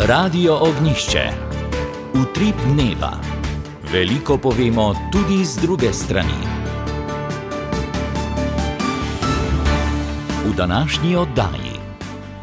Radio Ognjišče. Utrip dneva. Veliko povemo tudi z druge strani. V današnji oddaji.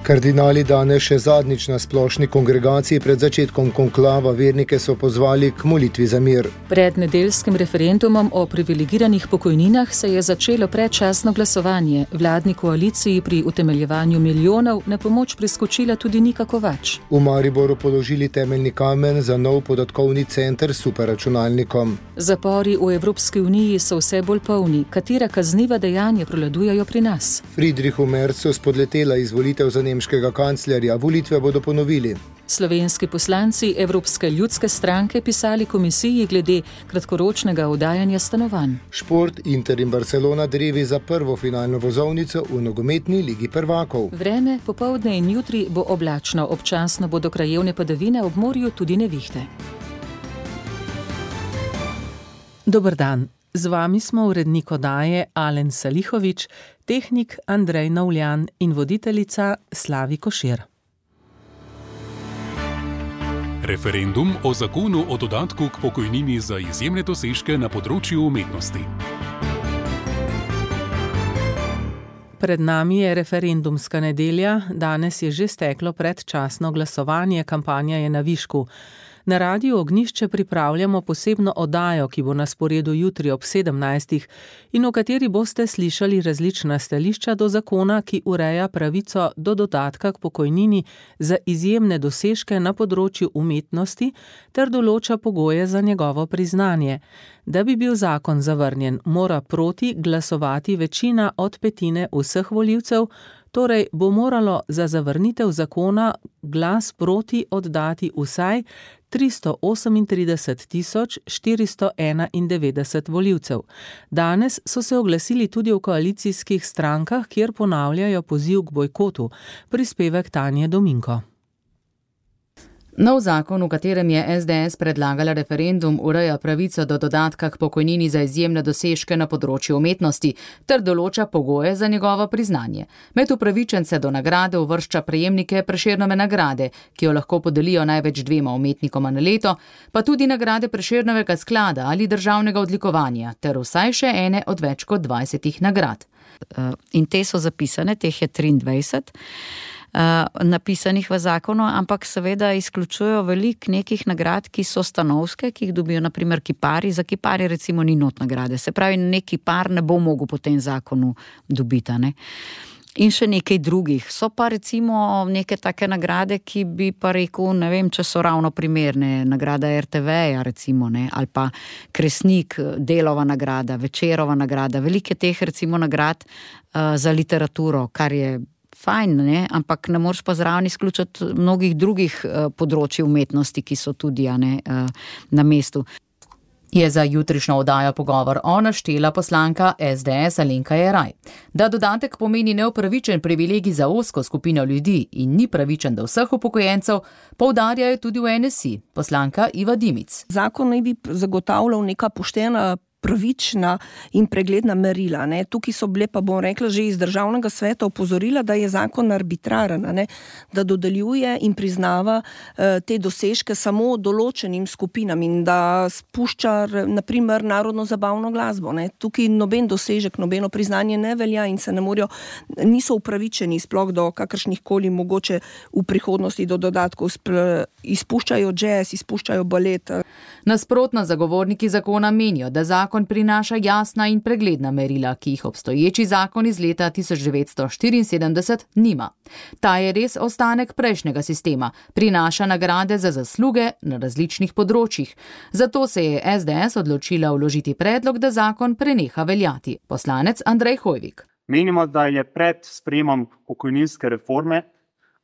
Kardinali danes še zadnjič na splošni kongregaciji pred začetkom konklava vernike so pozvali k molitvi za mir. Pred nedeljskim referendumom o privilegiranih pokojninah se je začelo predčasno glasovanje. Vladni koaliciji pri utemeljevanju milijonov na pomoč priskočila tudi Nika Kovač. V Mariboru položili temeljni kamen za nov podatkovni center s superračunalnikom. Zapori v Evropski uniji so vse bolj polni. Katera kazniva dejanja prevladujejo pri nas? Friedrichu Merzu spodletela izvolitev za nemškega kanclerja. Volitve bodo ponovili. Slovenski poslanci Evropske ljudske stranke pisali komisiji glede kratkoročnega oddajanja stanovanj. Šport, Inter in Barcelona drevi za prvo finalno vozovnico v nogometni ligi prvakov. Vreme, popoldne in jutri bo oblačno, občasno bodo krajevne padavine, ob morju tudi nevihte. Dober dan. Z vami smo urednik oddaje Alen Salihovič, tehnik Andrej Navljan in voditeljica Slavi Košir. Referendum o zakonu o dodatku k pokojnini za izjemne dosežke na področju umetnosti. Pred nami je referendumska nedelja, danes je že steklo predčasno glasovanje, kampanja je na višku. Na Radiu Ognjišče pripravljamo posebno oddajo, ki bo na sporedu jutri ob 17. in v kateri boste slišali različna stališča do zakona, ki ureja pravico do dodatka k pokojnini za izjemne dosežke na področju umetnosti ter določa pogoje za njegovo priznanje. Da bi bil zakon zavrnjen, mora proti glasovati večina od petine vseh volivcev, torej bo moralo za zavrnitev zakona glas proti oddati vsaj 338.491 volivcev. Danes so se oglasili tudi v koalicijskih strankah, kjer ponavljajo poziv k bojkotu. Prispevek Tanje Dominko. Nov zakon, v katerem je SDS predlagala referendum, ureja pravico do dodatka k pokojnini za izjemne dosežke na področju umetnosti ter določa pogoje za njegovo priznanje. Med upravičence do nagrade uvršča prejemnike Prešernove nagrade, ki jo lahko podelijo največ 2 umetnikoma na leto, pa tudi nagrade Prešernovega sklada ali državnega odlikovanja ter vsaj še ene od več kot 20 nagrad. In te so zapisane, teh je 23. Napisanih v zakonu, ampak seveda izključujejo veliko nekih nagrad, ki so stanovske, ki jih dobijo naprimer kipari. Za kipari recimo ni not nagrade. Se pravi, neki kipar ne bo mogel po tem zakonu dobiti, ne? In še nekaj drugih. So pa recimo neke take nagrade, ki bi pa rekel, ne vem, če so ravno primerne. Nagrada RTV-ja recimo, ne? Ali pa Kresnik, Delova nagrada, Večerova nagrada. Veliko je teh recimo nagrad za literaturo, kar je fajn, ne? Ampak ne moreš pa zraven izključiti mnogih drugih področij umetnosti, ki so tudi na mestu. Je za jutrišnjo oddajo pogovor naštela poslanka SDS Alenka Jeraj. Da dodatek pomeni neupravičen privilegij za ozko skupino ljudi in ni pravičen do vseh upokojencev, poudarjajo tudi v NSI. Poslanka Iva Dimic. Zakon naj bi zagotavljal neka poštena, pravična in pregledna merila. Ne. Tukaj so bile, pa bom rekla, že iz državnega sveta opozorila, da je zakon arbitraren, ne, da dodeljuje in priznava te dosežke samo določenim skupinam in da spušča, naprimer, narodno zabavno glasbo. Ne. Tukaj noben dosežek, nobeno priznanje ne velja in se ne morajo, niso upravičeni sploh do kakršnih koli mogoče v prihodnosti do dodatkov. Izpuščajo jazz, izpuščajo balet. Nasprotno, zagovorniki zakona menijo, da zakon prinaša jasna in pregledna merila, ki jih obstoječi zakon iz leta 1974 nima. Ta je res ostanek prejšnjega sistema, prinaša nagrade za zasluge na različnih področjih. Zato se je SDS odločila vložiti predlog, da zakon preneha veljati. Poslanec Andrej Hojvik. Menimo, da je pred sprejemom pokojninske reforme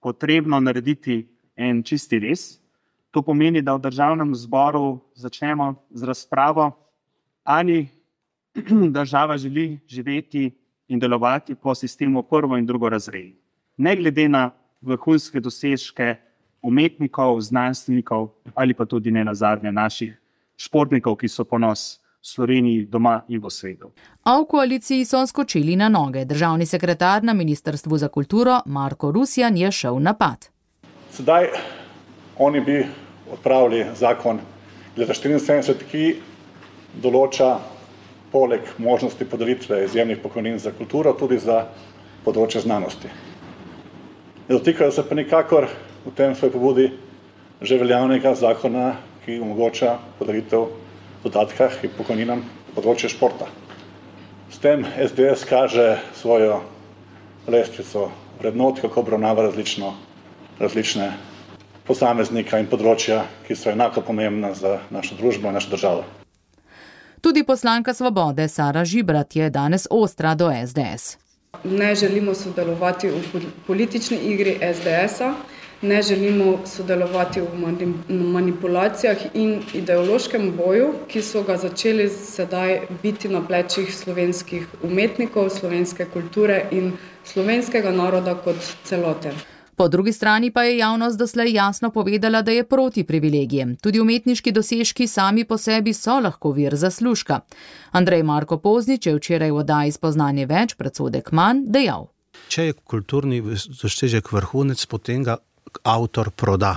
potrebno narediti en čisti rez. To pomeni, da v državnem zboru začnemo z razpravo, ali država želi živeti in delovati po sistemu prvo in drugo razred. Ne glede na vrhunske dosežke umetnikov, znanstvenikov ali pa tudi ne nazadnje naših športnikov, ki so ponos Sloveniji doma in v svetu. A v koaliciji so skočili na noge. Državni sekretar na Ministrstvu za kulturo Marko Rusjan je šel v napad. Sedaj Oni bi odpravili zakon leta 1974, ki določa poleg možnosti podelitve izjemnih pokojnin za kulturo tudi za področje znanosti. Ne dotikajo se pa nikakor v tem svoji pobudi že veljavnega zakona, ki omogoča podelitev dodatka in pokojninam področje športa. S tem SDS kaže svojo lestvico vrednot, kako obravnava različne posameznika in področja, ki so enako pomembna za našo družbo in našo državo. Tudi poslanka Svobode Sara Žibrat je danes ostra do SDS. Ne želimo sodelovati v politični igri SDS-a, ne želimo sodelovati v manipulacijah in ideološkem boju, ki so ga začeli sedaj biti na plečih slovenskih umetnikov, slovenske kulture in slovenskega naroda kot celote. Po drugi strani pa je javnost doslej jasno povedala, da je proti privilegijem. Tudi umetniški dosežki sami po sebi so lahko vir zaslužka. Andrej Marko Poznič je včeraj v oddaji Spoznanje več, predsodek manj, dejal. Če je kulturni dosežek vrhunec, potem ga avtor proda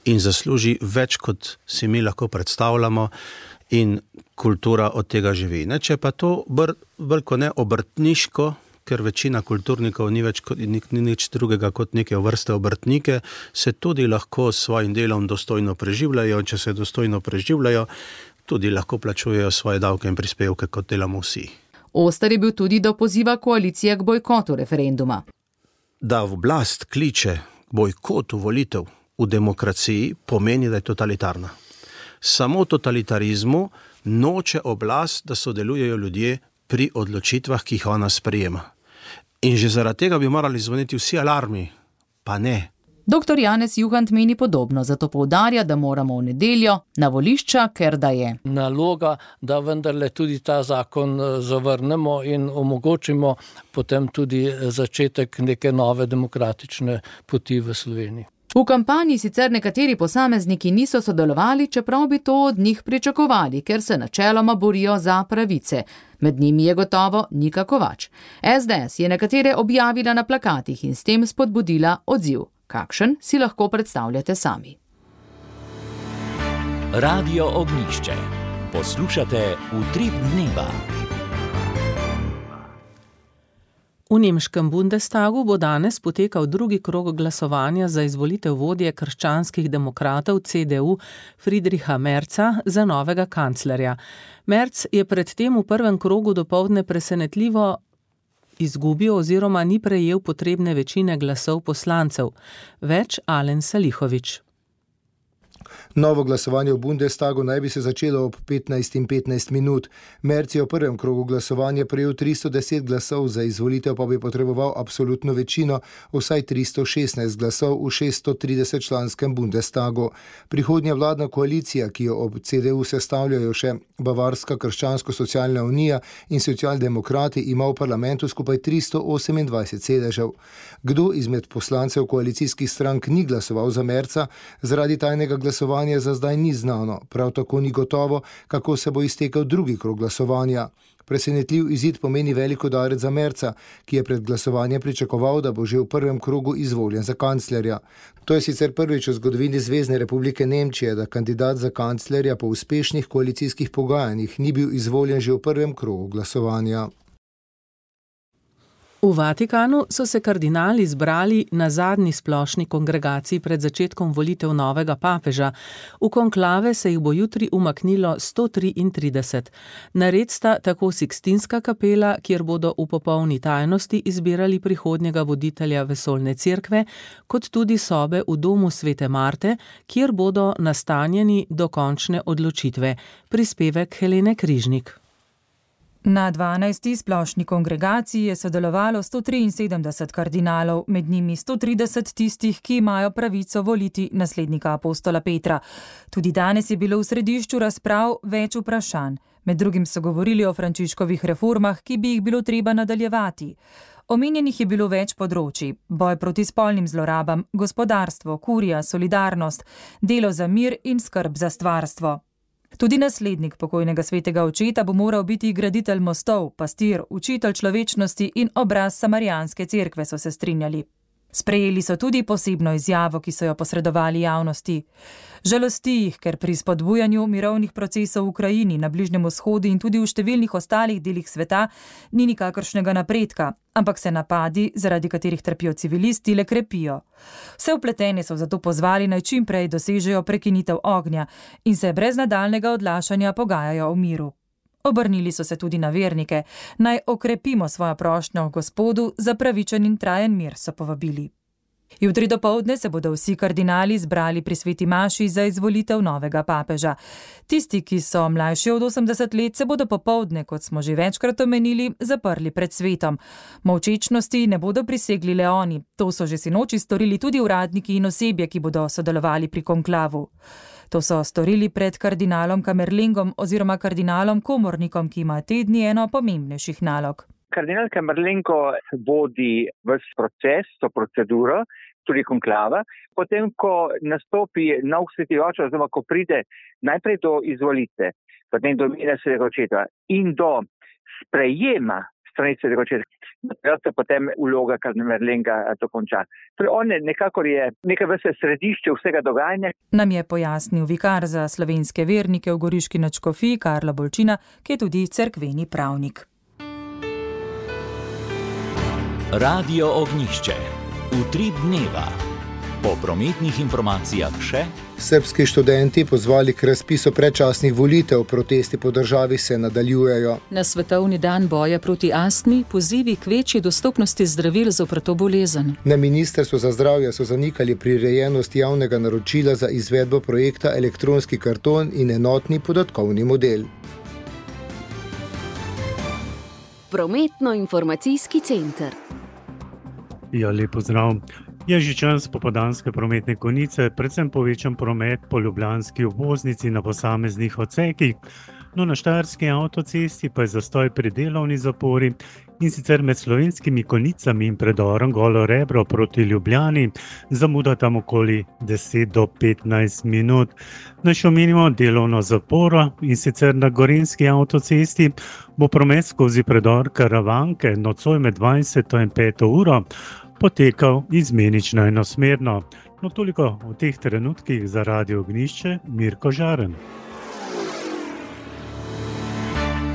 in zasluži več, kot si mi lahko predstavljamo, in kultura od tega živi. Če pa to bolj kot ne obrtniško, ker večina kulturnikov ni nič drugega kot neke vrste obrtnike, se tudi lahko s svojim delom dostojno preživljajo, če se dostojno preživljajo, tudi lahko plačujejo svoje davke in prispevke, kot delamo vsi. Oster je bil tudi do poziva koalicije k bojkotu referenduma. Da oblast kliče k bojkotu volitev v demokraciji, pomeni, da je totalitarna. Samo totalitarizmu noče oblast, da sodelujejo ljudje pri odločitvah, ki jih ona sprejema. In že zaradi tega bi morali zvoniti vsi alarmi, pa ne. Dr. Janez Juhant meni podobno, zato poudarja, da moramo v nedeljo na volišča, ker da je naloga, da vendarle tudi ta zakon zavrnemo in omogočimo potem tudi začetek neke nove demokratične poti v Sloveniji. V kampanji sicer nekateri posamezniki niso sodelovali, čeprav bi to od njih pričakovali, ker se načeloma borijo za pravice. Med njimi je gotovo Nika Kovač. SDS je nekatere objavila na plakatih in s tem spodbudila odziv. Kakšen si lahko predstavljate sami. Radio Ognjišče. Poslušate Utrip dneva. V nemškem Bundestagu bo danes potekal drugi krog glasovanja za izvolitev vodje krščanskih demokratov CDU Friedricha Merza za novega kanclerja. Merz je predtem v prvem krogu dopoldne presenetljivo izgubil oziroma ni prejel potrebne večine glasov poslancev. Več Alen Salihovič. Novo glasovanje v Bundestagu naj bi se začelo ob 15:15. Merz je v prvem krogu glasovanja prejel 310 glasov, za izvolitev pa bi potreboval absolutno večino, vsaj 316 glasov v 630-članskem Bundestagu. Prihodnja vladna koalicija, ki jo ob CDU sestavljajo še Bavarska krščansko-socialna unija in socialdemokrati, ima v parlamentu skupaj 328 sedežev. Kdo izmed poslancev koalicijskih strank ni glasoval za Merza, zaradi tajnega glasovanja za zdaj ni znano, prav tako ni gotovo, kako se bo iztekel drugi krog glasovanja. Presenetljiv izid pomeni velik udarec za Merza, ki je pred glasovanjem pričakoval, da bo že v prvem krogu izvoljen za kanclerja. To je sicer prvič v zgodovini Zvezne republike Nemčije, da kandidat za kanclerja po uspešnih koalicijskih pogajanjih ni bil izvoljen že v prvem krogu glasovanja. V Vatikanu so se kardinali zbrali na zadnji splošni kongregaciji pred začetkom volitev novega papeža. V konklave se jih bo jutri umaknilo 133. Nared sta tako Sikstinska kapela, kjer bodo v popolni tajnosti izbirali prihodnjega voditelja vesoljne cerkve, kot tudi sobe v domu Svete Marte, kjer bodo nastanjeni do končne odločitve. Prispevek Helene Križnik. Na 12. splošni kongregaciji je sodelovalo 173 kardinalov, med njimi 130 tistih, ki imajo pravico voliti naslednika apostola Petra. Tudi danes je bilo v središču razprav več vprašanj. Med drugim so govorili o Frančiškovih reformah, ki bi jih bilo treba nadaljevati. Omenjenih je bilo več področij: boj proti spolnim zlorabam, gospodarstvo, kurija, solidarnost, delo za mir in skrb za stvarstvo. Tudi naslednik pokojnega svetega očeta bo moral biti graditelj mostov, pastir, učitelj človečnosti in obraz samarijanske cerkve, so se strinjali. Sprejeli so tudi posebno izjavo, ki so jo posredovali javnosti. Žalosti jih, ker pri spodbujanju mirovnih procesov v Ukrajini, na Bližnjem vzhodu in tudi v številnih ostalih delih sveta ni nikakršnega napredka, ampak se napadi, zaradi katerih trpijo civilisti, le krepijo. Vse vpletene so zato pozvali, naj čim prej dosežejo prekinitev ognja in se brez nadaljnega odlašanja pogajajo o miru. Obrnili so se tudi na vernike, naj okrepimo svojo prošnjo Gospodu za pravičen in trajen mir, so povabili. Jutri dopoldne se bodo vsi kardinali zbrali pri sveti maši za izvolitev novega papeža. Tisti, ki so mlajši od 80 let, se bodo popoldne, kot smo že večkrat omenili, zaprli pred svetom. Molčečnosti ne bodo prisegli le oni, to so že sinoči storili tudi uradniki in osebje, ki bodo sodelovali pri konklavu. To so storili pred kardinalom Kamerlingom oziroma kardinalom Komornikom, ki ima te dni eno pomembnejših nalog. Kardinal Kamerlengo vodi ves proces, to proceduro, tudi konklava. Potem, ko nastopi nov sveti oče, oziroma ko pride najprej do izvolitve, potem do imena svetega očeta in do sprejema strani svetega očeta, se potem vloga Kamerlenga dokonča. Torej on nekako je neka vrsta središče vsega dogajanja. Nam je pojasnil vikar za slovenske vernike v Goriški nadškofiji Karlo Bolčina, ki je tudi cerkveni pravnik. Radio Ognjišče. Utrip dneva. Po prometnih informacijah še. Srbski študenti pozvali k razpisu predčasnih volitev, protesti po državi se nadaljujejo. Na svetovni dan boja proti astmi pozivi k večji dostopnosti zdravil zoper to bolezen. Na Ministrstvu za zdravje so zanikali prirejenost javnega naročila za izvedbo projekta elektronski karton in enotni podatkovni model. Prometno-informacijski center. Ja, lep pozdrav. Je že čas popoldanske prometne konice, predvsem povečan promet po ljubljanski obvoznici na posameznih odsekih. No, na Štajerski avtocesti pa je zastoj pri delovni zapori in sicer med Slovenskimi konicami in predorom Golo Rebro proti Ljubljani zamuda tam okoli 10 do 15 minut. Naj še omenimo delovno zaporo in sicer na Gorenjski avtocesti bo promet skozi predor Karavanke nocoj med 20 in 5 uro potekal izmenično enosmerno. No, toliko v teh trenutkih za Radio Ognjišče, Mirko Žaren.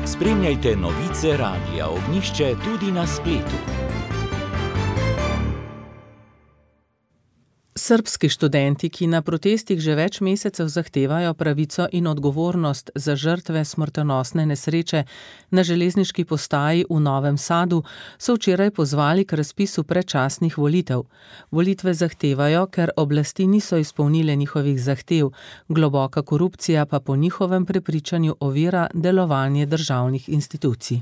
Spremljajte novice Radia Ognjišče tudi na spletu. Srbski študenti, ki na protestih že več mesecev zahtevajo pravico in odgovornost za žrtve smrtonosne nesreče na železniški postaji v Novem Sadu, so včeraj pozvali k razpisu predčasnih volitev. Volitve zahtevajo, ker oblasti niso izpolnile njihovih zahtev, globoka korupcija pa po njihovem prepričanju ovira delovanje državnih institucij.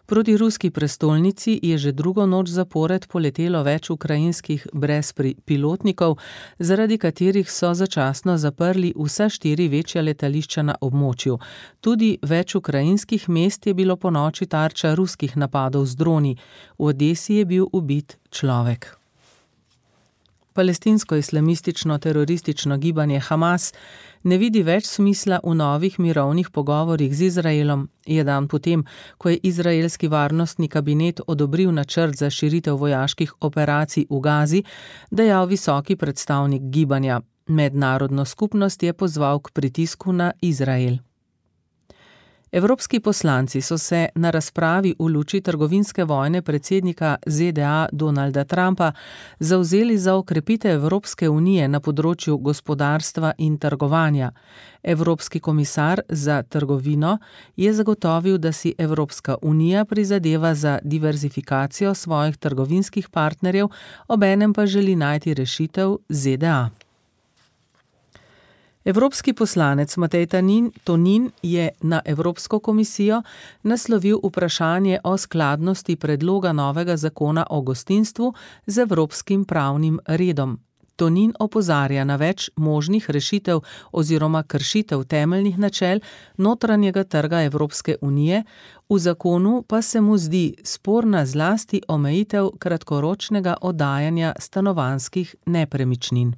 Proti ruski prestolnici je že drugo noč zapored poletelo več ukrajinskih brezpilotnikov, zaradi katerih so začasno zaprli vsa 4 večja letališča na območju. Tudi več ukrajinskih mest je bilo ponoči tarča ruskih napadov z droni. V Odesi je bil ubit človek. Palestinsko-islamistično teroristično gibanje Hamas ne vidi več smisla v novih mirovnih pogovorih z Izraelom, je dan potem, ko je izraelski varnostni kabinet odobril načrt za širitev vojaških operacij v Gazi, dejal visoki predstavnik gibanja. Mednarodno skupnost je pozval k pritisku na Izrael. Evropski poslanci so se na razpravi v luči trgovinske vojne predsednika ZDA Donalda Trumpa zavzeli za okrepitev Evropske unije na področju gospodarstva in trgovanja. Evropski komisar za trgovino je zagotovil, da si Evropska unija prizadeva za diverzifikacijo svojih trgovinskih partnerjev, obenem pa želi najti rešitev ZDA. Evropski poslanec Matej Tonin je na Evropsko komisijo naslovil vprašanje o skladnosti predloga novega zakona o gostinstvu z evropskim pravnim redom. Tonin opozarja na več možnih rešitev oziroma kršitev temeljnih načel notranjega trga Evropske unije, v zakonu pa se mu zdi sporna zlasti omejitev kratkoročnega oddajanja stanovanjskih nepremičnin.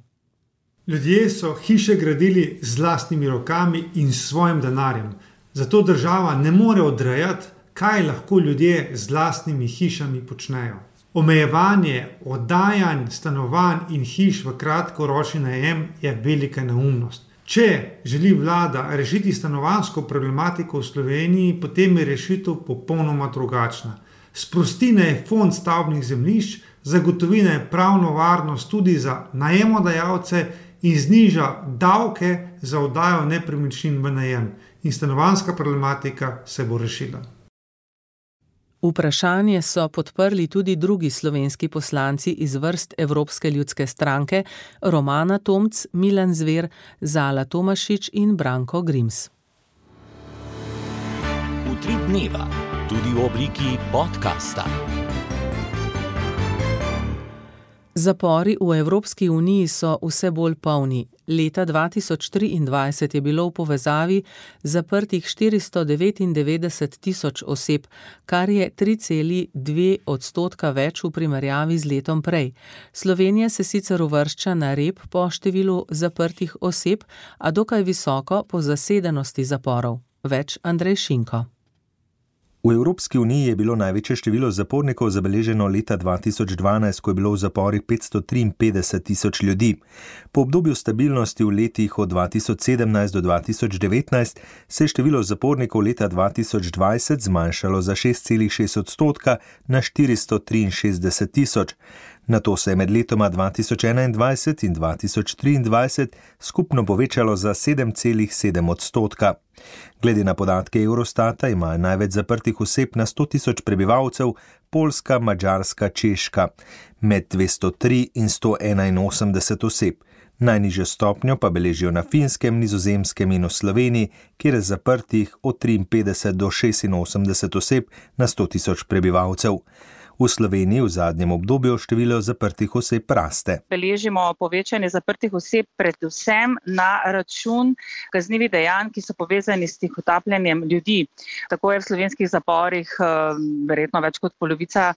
Ljudje so hiše gradili z lastnimi rokami in svojim denarjem. Zato država ne more odrejati, kaj lahko ljudje z lastnimi hišami počnejo. Omejevanje oddajanj stanovanj in hiš v kratkoročni najem je velika neumnost. Če želi vlada rešiti stanovanjsko problematiko v Sloveniji, potem je rešitev popolnoma drugačna. Sprosti naj fond stavbnih zemljišč, zagotovi naj pravno varnost tudi za najemodajalce in zniža davke za oddajo nepremičnin v najem. In stanovanjska problematika se bo rešila. Vprašanje so podprli tudi drugi slovenski poslanci iz vrst Evropske ljudske stranke, Romana Tomc, Milan Zver, Zala Tomašič in Branko Grims. Utrip dneva, tudi v obliki podcasta. Zapori v Evropski uniji so vse bolj polni. Leta 2023 je bilo v povezavi zaprtih 499 tisoč oseb, kar je 3,2% več v primerjavi z letom prej. Slovenija se sicer uvršča na rep po številu zaprtih oseb, a dokaj visoko po zasedenosti zaporov. Več Andrej Šinko. V Evropski uniji je bilo največje število zapornikov zabeleženo leta 2012, ko je bilo v zaporih 553 tisoč ljudi. Po obdobju stabilnosti v letih od 2017 do 2019 se je število zapornikov leta 2020 zmanjšalo za 6,6% na 463 tisoč. Nato se je med letoma 2021 in 2023 skupno povečalo za 7,7%. Glede na podatke Eurostata imajo največ zaprtih oseb na 100 tisoč prebivalcev Poljska, Madžarska, Češka, med 203 in 181 oseb. Najnižjo stopnjo pa beležijo na Finskem, Nizozemskem in v Sloveniji, kjer je zaprtih od 53 do 86 oseb na 100 tisoč prebivalcev. V Sloveniji v zadnjem obdobju število zaprtih oseb raste. Beležimo povečanje zaprtih oseb predvsem na račun kaznivih dejanj, ki so povezani s tihotapljenjem ljudi. Tako je v slovenskih zaporih verjetno več kot polovica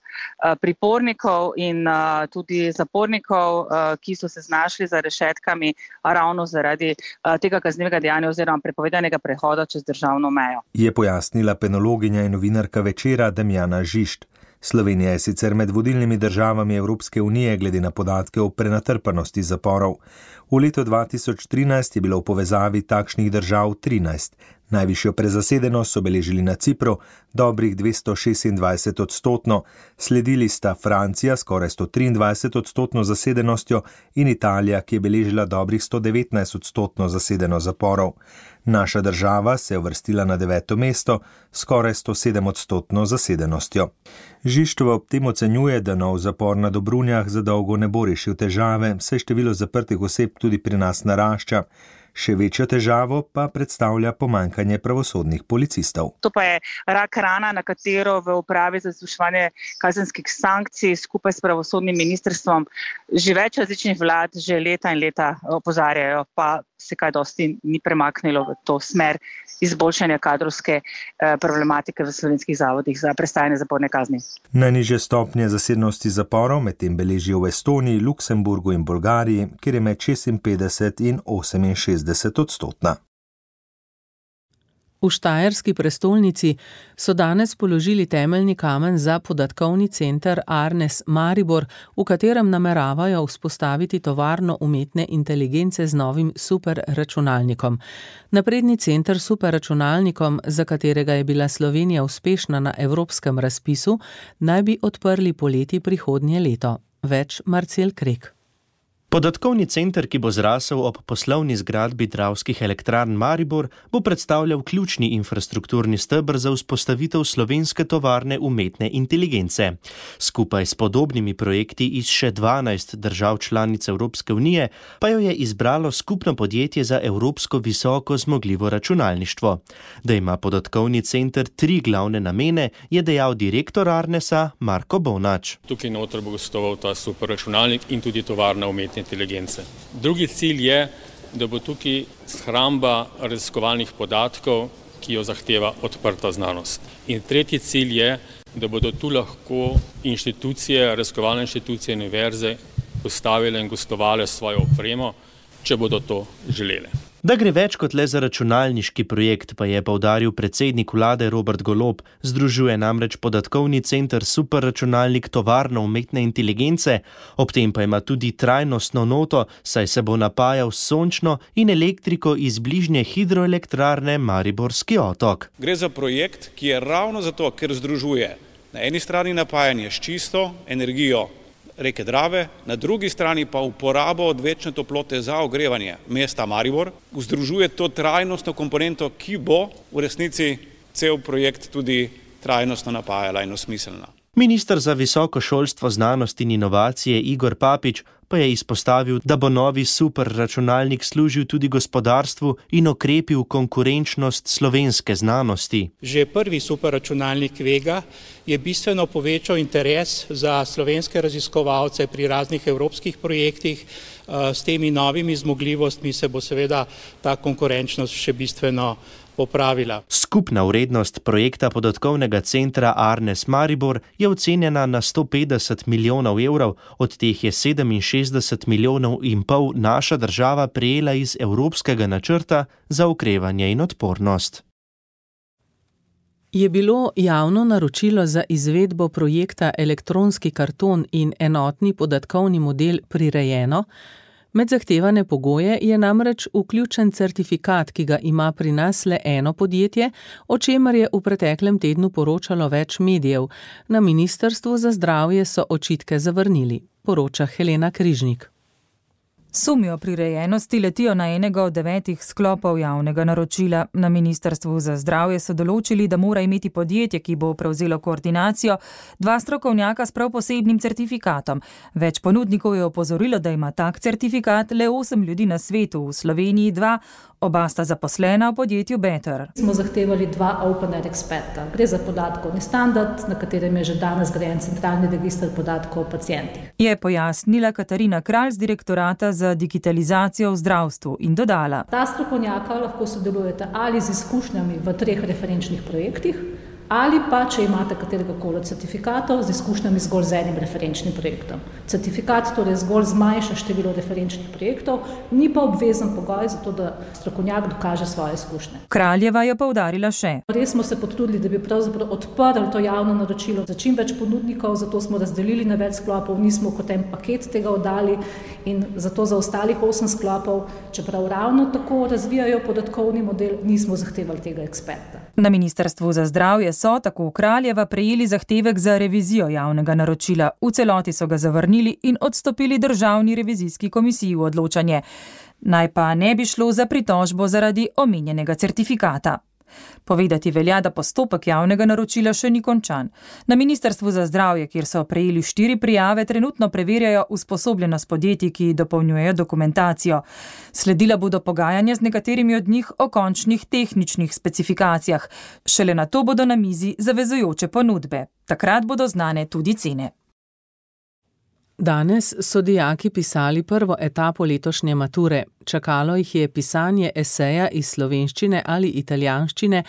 pripornikov in tudi zapornikov, ki so se znašli za rešetkami ravno zaradi tega kaznivega dejanja oziroma prepovedanega prehoda čez državno mejo. Je pojasnila penologinja in novinarka Večera Damjana Žišt. Slovenija je sicer med vodilnimi državami Evropske unije glede na podatke o prenatrpanosti zaporov. V letu 2013 je bilo v povezavi takšnih držav 13. Najvišjo prezasedenost so beležili na Cipru, dobrih 226%, sledili sta Francija skoraj 123% zasedenostjo in Italija, ki je beležila dobrih 119% zasedenost zaporov. Naša država se je uvrstila na 9. mesto, skoraj 107% zasedenostjo. Žištova ob tem ocenjuje, da nov zapor na Dobrunjah za dolgo ne bo rešil težave, saj število zaprtih oseb tudi pri nas narašča. Še večjo težavo pa predstavlja pomanjkanje pravosodnih policistov. To pa je rak rana, na katero v upravi za izvrševanje kazenskih sankcij skupaj s pravosodnim ministrstvom že več različnih vlad že leta in leta opozarjajo, pa se kaj dosti ni premaknilo v to smer izboljšanja kadrovske problematike v slovenskih zavodih za prestajanje zaporne kazni. Najnižje stopnje zasedenosti zaporov medtem beležijo v Estoniji, Luksemburgu in Bolgariji, kjer je med 56 in 68%. V štajerski prestolnici so danes položili temeljni kamen za podatkovni center Arnes Maribor, v katerem nameravajo vzpostaviti tovarno umetne inteligence z novim superračunalnikom. Napredni center s superračunalnikom, za katerega je bila Slovenija uspešna na evropskem razpisu, naj bi odprli poleti prihodnje leto. Več Marcel Krek. Podatkovni center, ki bo zrasel ob poslovni zgradbi Dravskih elektrarn Maribor, bo predstavljal ključni infrastrukturni steber za vzpostavitev slovenske tovarne umetne inteligence. Skupaj s podobnimi projekti iz še 12 držav članic Evropske unije pa jo je izbralo skupno podjetje za evropsko visoko zmogljivo računalništvo. Da ima podatkovni center 3 glavne namene, je dejal direktor Arnesa Marko Bonač. Tukaj noter bo gostoval ta superračunalnik in tudi tovarna umetne inteligence. Drugi cilj je, da bo tukaj shramba raziskovalnih podatkov, ki jo zahteva odprta znanost. In tretji cilj je, da bodo tu lahko inštitucije, raziskovalne inštitucije, univerze postavile in gostovale svojo opremo, če bodo to želele. Da gre več kot le za računalniški projekt, pa je poudaril predsednik vlade Robert Golob. Združuje namreč podatkovni center Superračunalnik tovarno umetne inteligence, ob tem pa ima tudi trajnostno noto, saj se bo napajal s sončno in elektriko iz bližnje hidroelektrarne Mariborski otok. Gre za projekt, ki je ravno zato, ker združuje na eni strani napajanje s čisto energijo reke Drave, na drugi strani pa uporabo odvečne toplote za ogrevanje mesta Maribor, združuje to trajnostno komponento, ki bo v resnici cel projekt tudi trajnostno napajala in osmiselna. Minister za visoko šolstvo, znanost in inovacije Igor Papič pa je izpostavil, da bo novi superračunalnik služil tudi gospodarstvu in okrepil konkurenčnost slovenske znanosti. Že prvi superračunalnik Vega je bistveno povečal interes za slovenske raziskovalce pri raznih evropskih projektih. S temi novimi zmogljivostmi se bo seveda ta konkurenčnost še bistveno popravila. Skupna vrednost projekta podatkovnega centra Arnes Maribor je ocenjena na 150 milijonov evrov, od teh je 67,5 milijonov naša država prejela iz Evropskega načrta za okrevanje in odpornost. Je bilo javno naročilo za izvedbo projekta elektronski karton in enotni podatkovni model prirejeno? Med zahtevane pogoje je namreč vključen certifikat, ki ga ima pri nas le eno podjetje, o čemer je v preteklem tednu poročalo več medijev. Na Ministrstvu za zdravje so očitke zavrnili, poroča Helena Križnik. Sumi o prirejenosti letijo na enega od 9 sklopov javnega naročila. Na Ministrstvu za zdravje so določili, da mora imeti podjetje, ki bo prevzelo koordinacijo, 2 strokovnjaka s prav posebnim certifikatom. Več ponudnikov je opozorilo, da ima tak certifikat le 8 ljudi na svetu, v Sloveniji 2, oba sta zaposlena v podjetju Better. Smo zahtevali 2 OpenAir eksperta. Gre za podatkovni standard, na katerem je že danes zgrajen centralni register podatkov o pacientih. Je pojasnila Katarina Kralj z direktorata za digitalizacijo v zdravstvu in dodala. Ta strokovnjaka lahko sodelujete ali z izkušnjami v 3 referenčnih projektih, ali pa, če imate kateregakoli od certifikatov, z izkušnjami zgolj z enim referenčnim projektom. Certifikat torej zgolj zmanjša število referenčnih projektov, ni pa obvezen pogoj za to, da strokovnjak dokaže svoje izkušnje. Kraljeva je poudarila še. Res smo se potrudili, da bi pravzaprav odprli to javno naročilo za čim več ponudnikov, zato smo razdelili na več sklopov, nismo kot en paket tega oddali in zato za ostalih 8 sklopov, čeprav ravno tako razvijajo podatkovni model, nismo zahtevali tega eksperta. Na Ministrstvu za zdravje so, tako Kraljeva, prejeli zahtevek za revizijo javnega naročila. V celoti so ga zavrnili in odstopili Državni revizijski komisiji v odločanje. Naj pa ne bi šlo za pritožbo zaradi omenjenega certifikata. Povedati velja, da postopek javnega naročila še ni končan. Na Ministrstvu za zdravje, kjer so prejeli 4 prijave, trenutno preverjajo usposobljenost podjetij, ki dopolnjujejo dokumentacijo. Sledila bodo pogajanja z nekaterimi od njih o končnih tehničnih specifikacijah. Šele nato bodo na mizi zavezujoče ponudbe. Takrat bodo znane tudi cene. Danes so dijaki pisali prvo etapo letošnje mature. Čakalo jih je pisanje eseja iz slovenščine ali italijanščine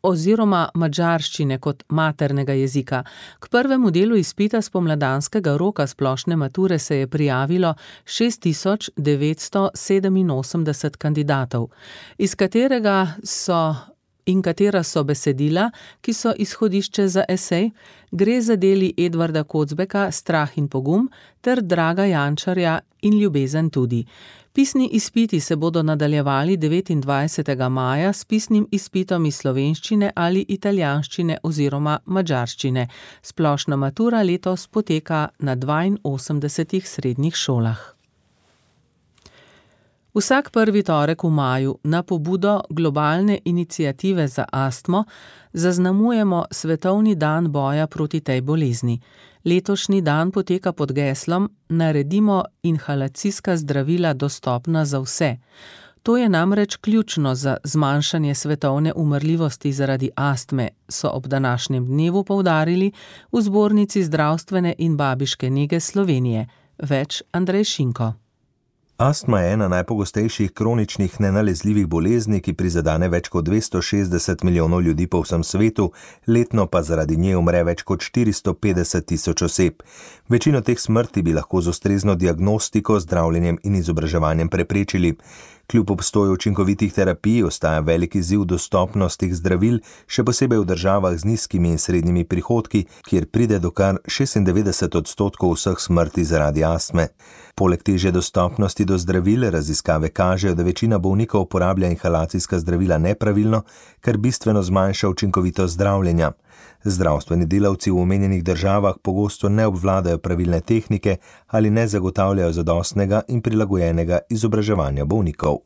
oziroma madžarščine kot maternega jezika. K prvemu delu izpita spomladanskega roka splošne mature se je prijavilo 6987 kandidatov, iz katerega katera so besedila, ki so izhodišče za esej, gre za deli Edvarda Kocbeka Strah in pogum ter Draga Jančarja In ljubezen tudi. Pisni izpiti se bodo nadaljevali 29. maja s pisnim izpitom iz slovenščine ali italijanščine oziroma madžarščine. Splošna matura letos poteka na 82 srednjih šolah. Vsak prvi torek v maju na pobudo globalne iniciative za astmo zaznamujemo Svetovni dan boja proti tej bolezni. Letošnji dan poteka pod geslom Naredimo inhalacijska zdravila dostopna za vse. To je namreč ključno za zmanjšanje svetovne umrljivosti zaradi astme, so ob današnjem dnevu poudarili v Zbornici zdravstvene in babiške nege Slovenije. Več Andrej Šinko. Astma je ena najpogostejših kroničnih nenalezljivih bolezni, ki prizadene več kot 260 milijonov ljudi po vsem svetu, letno pa zaradi nje umre več kot 450 tisoč oseb. Večino teh smrti bi lahko z ustrezno diagnostiko, zdravljenjem in izobraževanjem preprečili. Kljub obstoju učinkovitih terapij ostaja velik izziv dostopnost teh zdravil, še posebej v državah z nizkimi in srednjimi prihodki, kjer pride do kar 96% vseh smrti zaradi astme. Poleg težje dostopnosti do zdravil, raziskave kažejo, da večina bolnikov uporablja inhalacijska zdravila nepravilno, kar bistveno zmanjša učinkovitost zdravljenja. Zdravstveni delavci v omenjenih državah pogosto ne obvladajo pravilne tehnike ali ne zagotavljajo zadostnega in prilagojenega izobraževanja bolnikov.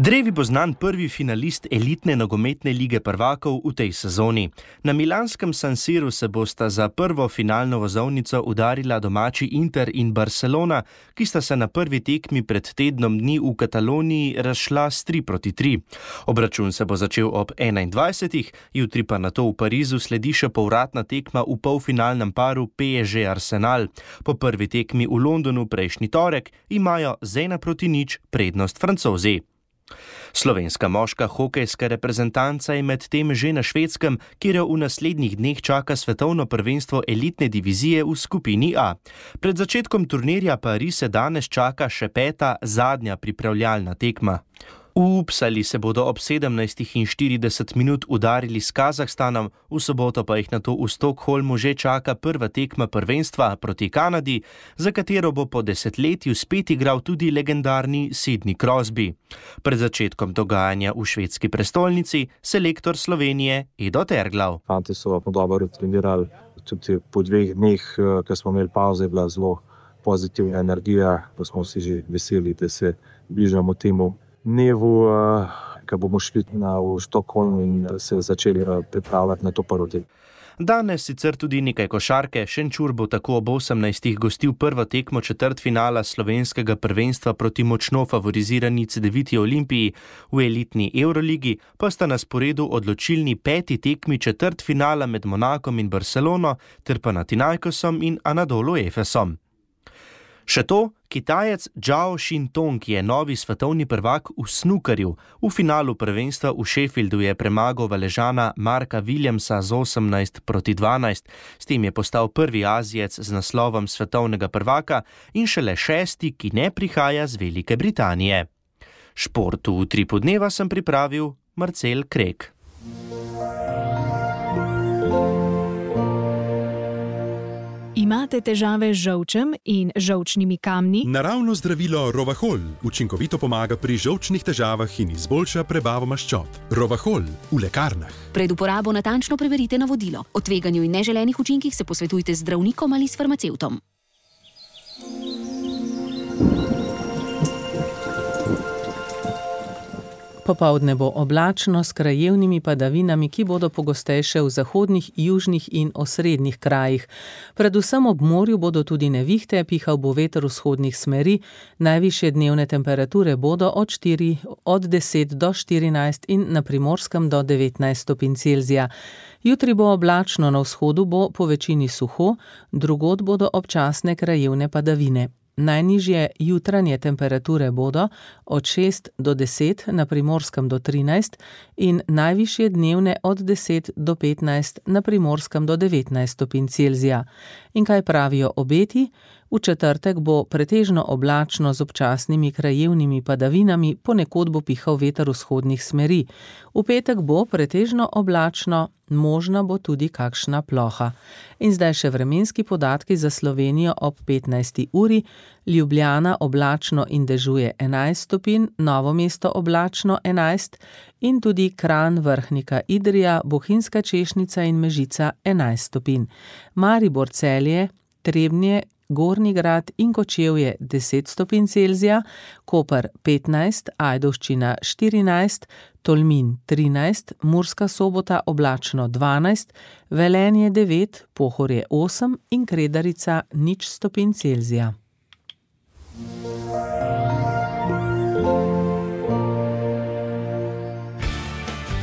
Drevi bo znan prvi finalist elitne nogometne lige prvakov v tej sezoni. Na milanskem San Siru se bosta za prvo finalno vozovnico udarila domači Inter in Barcelona, ki sta se na prvi tekmi pred tednom dni v Kataloniji razšla s 3-3. Obračun se bo začel ob 21. Jutri pa nato v Parizu sledi še povratna tekma v polfinalnem paru PSG Arsenal. Po prvi tekmi v Londonu prejšnji torek imajo z 1-0 prednost Francozi. Slovenska moška hokejska reprezentanca je medtem že na Švedskem, kjer jo v naslednjih dneh čaka svetovno prvenstvo elitne divizije v skupini A. Pred začetkom turnirja pa Rise danes čaka še 5. zadnja pripravljalna tekma. V Uppsali se bodo ob 17:40 udarili s Kazahstanom, v soboto pa jih nato v Stockholmu že čaka prva tekma prvenstva proti Kanadi, za katero bo po desetletju spet igral tudi legendarni Sidney Crosby. Pred začetkom dogajanja v švedski prestolnici selektor Slovenije Edo Terglav. Fanti so dobro trenirali, tudi po 2 dneh, ko smo imeli pauze, je bila zelo pozitivna energija, pa smo si že veseli, da se bližamo temu dnevu, ko bomo šli v Stockholm in se začeli pripravljati na to prvo tekmo. Danes sicer tudi nekaj košarke. Šenčur bo tako ob 18. gostil prvo tekmo četrtfinala slovenskega prvenstva proti močno favorizirani Cedeviti Olimpiji. V elitni Euroligi pa sta na sporedu odločilni 5. tekmi četrtfinala med Monakom in Barcelono ter Panathinaikosom in Anadolu Efesom. Še to, Kitajec Zhao Xintong je novi svetovni prvak v snukerju. V finalu prvenstva v Sheffieldu je premagal Valežana Marka Williamsa z 18-12. S tem je postal prvi Azijec z naslovom svetovnega prvaka in šele 6., ki ne prihaja z Velike Britanije. Športu v Utripu dneva sem pripravil Marcel Krek. Imate težave z žolčem in žolčnimi kamni? Naravno zdravilo Rovahol učinkovito pomaga pri žolčnih težavah in izboljša prebavo maščob. Rovahol v lekarnah. Pred uporabo natančno preverite navodilo. O tveganju in neželenih učinkih se posvetujte z zdravnikom ali s farmacevtom. Popoldne bo oblačno s krajevnimi padavinami, ki bodo pogostejše v zahodnih, južnih in osrednjih krajih. Predvsem ob morju bodo tudi nevihte, pihal bo veter vzhodnih smeri, najvišje dnevne temperature bodo od 10 do 14 in na Primorskem do 19 stopinj Celzija. Jutri bo oblačno, na vzhodu bo po večini suho, drugod bodo občasne krajevne padavine. Najnižje jutranje temperature bodo od 6 do 10, na Primorskem do 13 in najvišje dnevne od 10 do 15, na Primorskem do 19 stopinj Celzija. In kaj pravijo obeti? V četrtek bo pretežno oblačno z občasnimi krajevnimi padavinami, ponekod bo pihal veter vzhodnih smeri. V petek bo pretežno oblačno, možna bo tudi kakšna ploha. In zdaj še vremenski podatki za Slovenijo ob 15. uri. Ljubljana oblačno in dežuje 11 stopinj, Novo mesto oblačno 11 in tudi Kranj, Vrhnika, Idrija, Bohinjska Češnica in Mežica 11 stopinj. Maribor, Celje, Trebnje, Gornji Grad in Kočevje 10 stopinj Celzija, Koper 15, Ajdovščina 14, Tolmin 13, Murska Sobota oblačno 12, Velenje 9, Pohorje 8 in Kredarica 0 stopinj Celzija.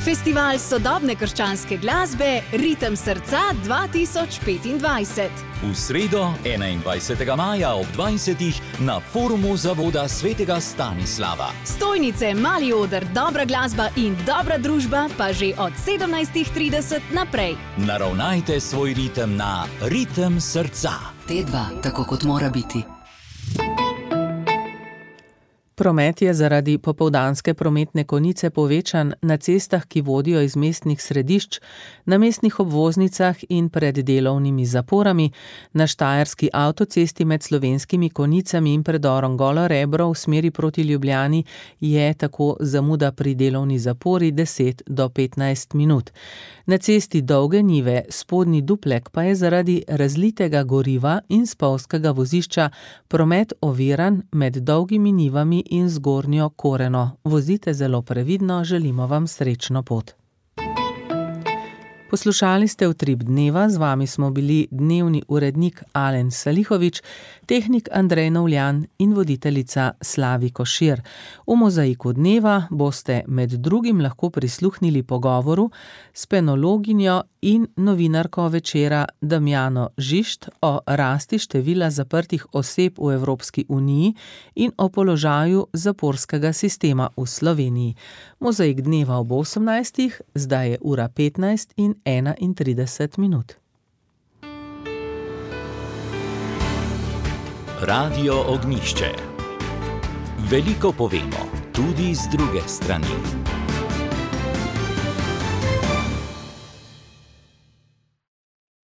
Festival sodobne krščanske glasbe Ritem srca 2025. V sredo 21. maja ob 20. na forumu Zavoda svetega Stanislava. Stojnice, mali oder, dobra glasba in dobra družba pa že od 17:30 naprej. Naravnajte svoj ritem na Ritem srca. T2, tako kot mora biti. Promet je zaradi popoldanske prometne konice povečan na cestah, ki vodijo iz mestnih središč, na mestnih obvoznicah in pred delovnimi zaporami, na Štajerski avtocesti med Slovenskimi Konicami in predorom Golo Rebro v smeri proti Ljubljani je tako zamuda pri delovni zapori 10 do 15 minut. Na cesti Dolge Njive Spodnji Duplek pa je zaradi razlitega goriva in spolzkega vozišča promet oviran med Dolgimi Njivami in Zgornjo Koreno. Vozite zelo previdno, želimo vam srečno pot. Poslušali ste Utrip dneva, z vami smo bili dnevni urednik Alen Salihovič, tehnik Andrej Novljan in voditeljica Slavi Košir. V Mozaiku dneva boste med drugim lahko prisluhnili pogovoru s penologinjo in novinarko Večera Damjano Žišt o rasti števila zaprtih oseb v Evropski uniji in o položaju zaporskega sistema v Sloveniji. Mozaik dneva ob 18. Zdaj je ura 15 in 31 minut. Radio Ognjišče. Veliko povemo, tudi z druge strani.